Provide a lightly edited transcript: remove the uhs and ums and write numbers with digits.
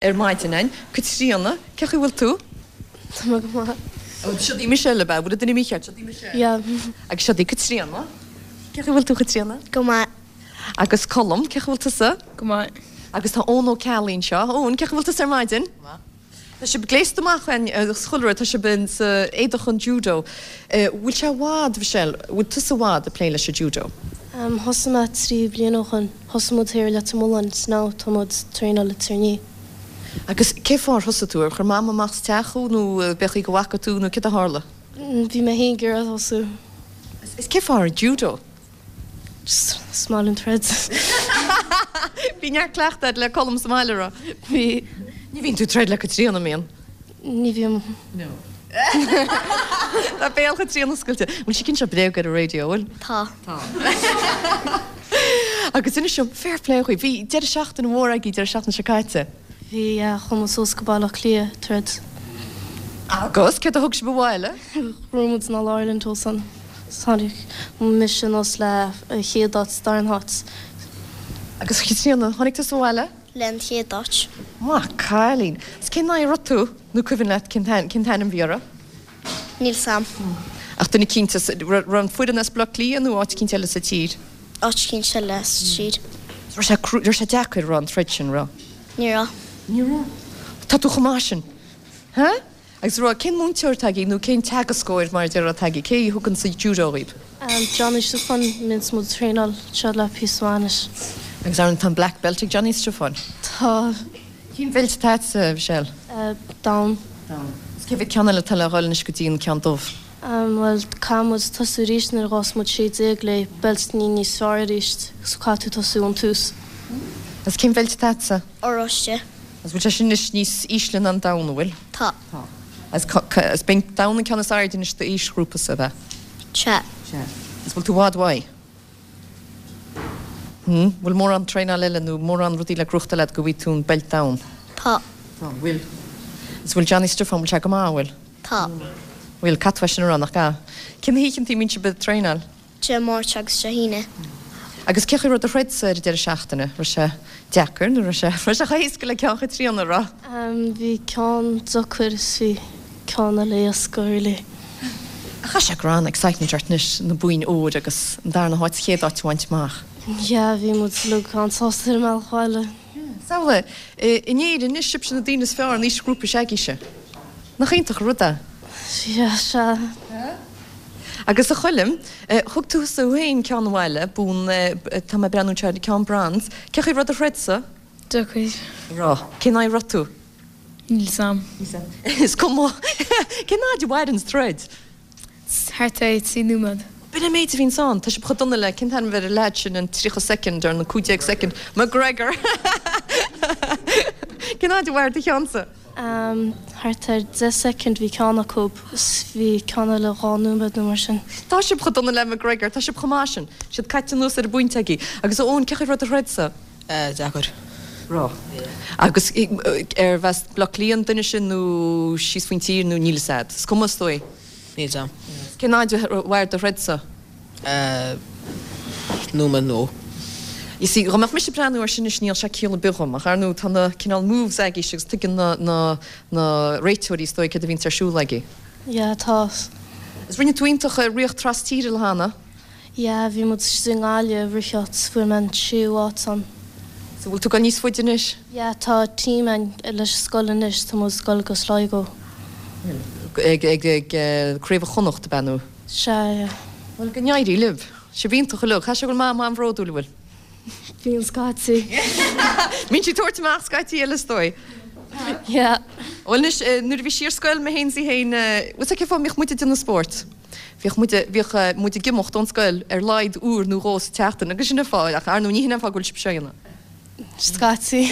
Ar maidin againn. Caitríona, cé chaoi bhfuil tú? Tá mé go maith. Ó, siod í Michelle, ab ea? Bhfuil an duine mícheart? Siod í Michelle. Yeah. Agus siod í Caitríona. Cé chaoi bhfuil tú, Caitríona? Go maith. Agus Colm, cé chaoi bhfuil tusa? Go maith. Agus tá Eoin Ó Ceallaigh anseo. Eoin, cé chaoi bhfuil tusa ar maidin? Go maith. Tá sibh gléasta amach againn agus chuile rud, tá sibh in sa éadach an judo. Bhfuil sé i bhfad, Michelle, bhfuil tusa i bhfad ag plé leis an judo? Thosaigh mé 3 bliana ó shoin. Thosaigh muid thiar i Leitir Mealláin 's now tá muid traenáil i Tír an Fhia. Agus cé fáth ar thosaigh tú? Ar chuir Mam amach as teach thú nó b'é chaoi go bhfaca tú nó céard a tharla? Bhí mé féin ag iarraidh tosú. Is cé fáth ar judo? Just is maith liom troid. Bhí neart cleachtadh agat le Colm sa mbaile, raibh? Bhí. Ní bhíonn tú ag troid le Caitríona, an mbíonn? Ní bhím. No. Tá béal Chaitríona oscailte. Bhfuil sí ag inse bréag ar an raidió, bhfuil? Tá. Tá. Agus inis dom, fair play dhaoibh, bhí deireadh seachtaine mhór agaibh deireadh seachtaine seo caite. Bhí, yeah, chuaigh muid suas go Baile Átha Cliath ag troid. Agus céard a thug sibh abhaile? Bhuaigh muid an All Ireland ansan. Tháinig mise anuas le an chéad áit 's darna háit. Agus Caitríona, tháinig tusa abhaile? Le an chéad áit. Maith cailín. Is cén aghaidh a raibh tú? Nó cuimhin leat cén t-ainm a bhí orthu? Níl 's a'm. Ach duine eicínt as, raibh an foireann as Baile Átha Cliath nó áit eicínt eile sa tír? Áit eicínt eile sa tír. Raibh sé, raibh sé deacair, raibh an troid sin, raibh? Ní raibh. Ní raibh? Tá tú chomh maith sin. Huh? Agus raibh, cén múinteoir atá agaibh nó cén teagascóir mar a déarfá atá agaibh, cé a thugann sa judo dhaoibh? Johnny Stiofáin, bíonns muid ag traenáil anseo le píosa maith anois. Agus ar ndóigh tá an black belt ag Johnny Stiofáin? Tá. Cén bheilt atá agatsa, Michelle? Donn. Donn. Is cé mhéad ceann eile atá le dhul anois go dtí an ceann dubh? Bhuel, caithfidh muid tosú arís nuair a ghabhfas muid 16 le beilt níos fearr arís, so caithfidh tú tosú ón tús. Agus cén bheilt atá agatsa? Oráiste. Agus bhfuil sé sin anois níos ísle ná an donn, an bhfuil? Tá. Tá. Agus is b'é an donn an ceann is airde anois d'aoisghrúpa-sa, ab ea? Sea. Sea. Agus bhfuil tú i bhfad uaidh? Hm? Bhfuil mórán traenáil eile nó mórán rudaí le gnóthachtáil agat go bhfaighidh tú an beilt donn? Tá. Tá, bhfuil. Agus bhfuil Johnny Stiofán, bhfuil sé go maith, an bhfuil? Tá. Bhfuil, caithfidh tú é sin a rá, nach gcaithfidh? Cé na hoícheantaí a mbíonn sibh ag traenáil? Dé Máirt agus Dé hAoine. Agus cé chaoi raibh do throid-sa ar an deireadh seachtaine? Raibh sé deacair nó raibh sé, raibh sé chomh héasca le ceann Chaitríona, raibh? Bhí ceann deacair is bhí ceann eile éasca really. Ach tá sé go raibh an excitement ort anois, na boinn óir agus an darna háit, sa chéad áit a bhaint amach. Yeah, bhí muid uilig an-sásta ar an mbealach abhaile. Yeah. Samhlaigh, in Éirinn anois, sibhse na daoine is fearr in aoisghrúpa s'agaibhse. Nach iontach an rud é? Yeah, sea. Agus a Choilm, thug tusa féin ceann abhaile, bonn, tá mé ag breathnú anseo ar ceann bronze. Cé chaoi raibh do throid-sa? Deacair. Raibh. Cén aghaidh a raibh tú? Níl 's a'm. Is cuma. Cén fhaid a mhaireann troid? Thart ar 3 nóiméad. B'in an méid a bhíonns ann. Tá sibh chomh dona le, cén t-ainm ar an leaid sin, an 30 soicind or an 15 soicind, McGregor! Cén fhaid a mhair do cheannsa? Thart ar 10 soicind bhí ceann acu is bhí ceann eile 2 nóiméad nó mar sin. Tá sibh chomh dona le McGregor, tá sibh chomh maith sin. Siad caite anuas ar an bpointe agaibh. Agus a Eoin, cé chaoi raibh do throid-sa? Deacair. Raibh. Agus arbh as Baile Átha Cliath an duine sin nó síos faoin tír nó níl fhios a'd. Is cuma is dóigh. Níl 'fhios a'm. Cén fhaid a mhair do throid-sa? Nóiméad nó. You see, dhá mbeadh mise ag breathnú air sin anois níl sé ciall ar bith dhom, ach ar ndóigh tá na cineál moves agaibhse agus tuigeann na, na, na réiteoirí is dóigh céard a bhíonns ar siúl agaibh. Yeah, tá. Is rinne tú iontach i ríocht tras tíre le hAnna. Yeah, bhí muid istigh i nGaillimh ag ritheacht 's fuair mé an séú áit ann. So bhfuil tú ag dul níos faide anois? Yeah, tá team a'inn leis an scoil anois, tá muid ag dul go Sligo. Ag, ag, ag Craobh Chonnacht ab ea nó? Sea, yeah. Bhuel, go n-éirí libh. Sibh iontach uilig. Caithfidh sé go bhfuil Mam an-bhródúil, an bhfuil? Bíonn scaití. Bíonn sí ag tabhairt amach scaití eile is dóigh. Yeah. Bhuel anois, nuair a bhí sí ar scoil, mé féin 's í féin, bhfuil 's agat cén fáth a mbíodh muid ag déanamh spóirt? Bhíodh muid, bhíodh muid ag imeacht ón scoil ar laghad uair nó dhó sa tseachtain agus sin an fáth, ach ar ndóigh ní hin an fáth go bhfuil sibh seo a dhéanamh. Scaití.